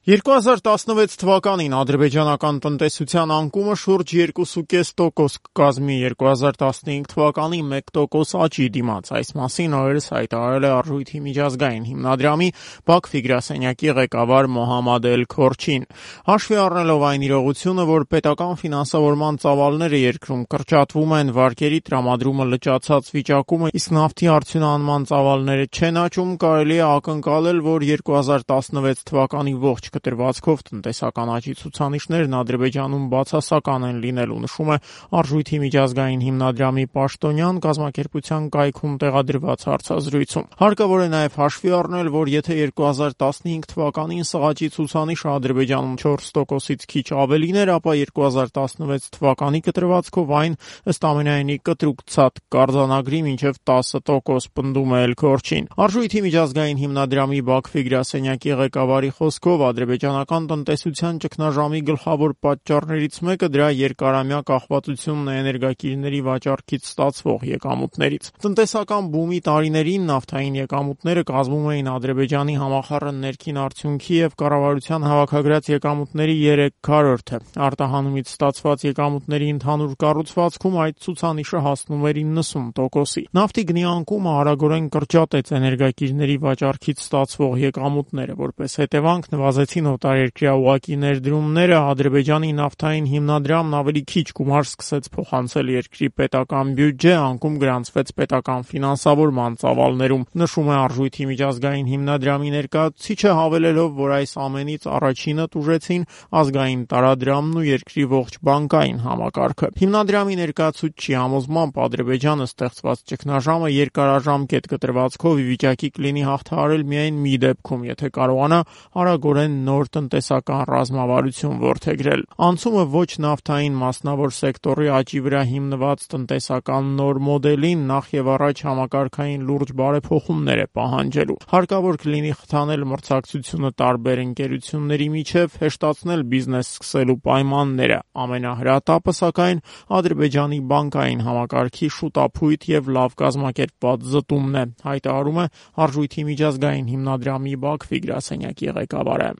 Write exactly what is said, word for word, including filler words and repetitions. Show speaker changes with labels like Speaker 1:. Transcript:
Speaker 1: երկու հազար տասնվեց թվականին ադրբեջանական տնտեսության անկումը շուրջ երկու կես տոկոս կկազմի երկու հազար տասնհինգ թվականի մեկ տոկոս աճի դիմաց։ Այս մասին օրերս հայտարարել է Արժույթի միջազգային հիմնադրամի Բաքվի գրասենյակի ղեկավար Մոհամմադ Էլ-Քորչին։ Հաշվի առնելով այն իրողությունը, որ պետական ֆինանսավորման ծավալները երկրում կրճատվում են, վարկերի տրամադրումը լճացած վիճակում է, իսկ նավթի արդյունահանման ծավալները չեն աճում, կարելի է ակնկալել, որ երկու հազար տասնվեց թվականի ողջ կտրվածքով տնտեսական աճի ցուցանիշներն Ադրբեջանում բացասական են լինելու, նշում է Արժույթի միջազգային հիմնադրամի պաշտոնյան կազմակերպության կայքում տեղադրված հարցազրույցում։ Հարկավոր է նաև հաշվի առնել, որ եթե երկու հազար տասնհինգ թվականին սղաճի ցուցանիշը Ադրբեջանում չորս տոկոսից քիչ ավելին էր, ապա երկու հազար տասնվեց թվականի կտրվածքով այն ըստ ամենայնի կտրուկ ցած կարձանագրի մինչև տասը տոկոս, պնդում է Էլ-Քորչին։ Արժույթի միջազգային հիմնադրամի Բաքվի գրասենյակի ղեկավարի խոսքով ադրբեջանական տնտեսության ճգնաժամի գլխավոր պատճառներից մեկը դրա երկարամյա կախվածությունն է էներգակիրների վաճառքից ստացվող եկամուտներից։ Տնտեսական բումի տարիներին նավթային եկամուտները կազմում էին Ադրբեջանի համախառն ներքին արդյունքի եւ կառավարության հավաքագրած եկամուտների երեք քառորդը։ Արտահանումից ստացված եկամուտների ընդհանուր կառուցվածքում այդ ցուցանիշը հասնում էր իննսուն տոկոսի։ Նավթի գնի անկումը արագորեն կրճատեց էներգակիրների վաճառքից ստացվող եկամուտները, որպես հետևանք նվազեցին օտարերկրյա ուղղակի ներդրումները, Ադրբեջանի նավթային հիմնադրամն ավելի քիչ գումար սկսեց փոխանցել երկրի պետական բյուջե, անկում գրանցվեց պետական ֆինանսավորման ծավալներում, նշում է Արժույթի միջազգային հիմնադրամի ներկայացուցիչը, հավելելով, որ այս ամենից առաջինը տուժեցին ազգային տարադրամն ու երկրի ողջ բանկային համակարգը։ Հիմնադրամի ներկայացուցչի համոզմամբ Ադրբեջանը ստեղծված ճգնաժամը երկարաժամկետ կտրվածքով ի վիճակի կլինի հաղթահարել միայն մի դեպքում, եթե կարողանա արագորեն նոր տնտեսական ռազմավարություն որդեգրել։ Անցումը ոչ նավթային մասնավոր սեկտորի աճի վրա հիմնված տնտեսական նոր մոդելին նախ եւ առաջ համակարգային լուրջ բարեփոխումներ է պահանջելու։ Հարկավոր կլինի խթանել մրցակցությունը տարբեր ընկերությունների միջև, հեշտացնել բիզնես սկսելու պայմանները։ Ամենահրատապը, սակայն, Ադրբեջանի բանկային համակարգի շուտափույթ եւ լավ կազմակերպված զտումն է, հայտարարում է Արժույթի միջազգային հիմնադրամի Բաքվի գրասենյակի ղեկավարը։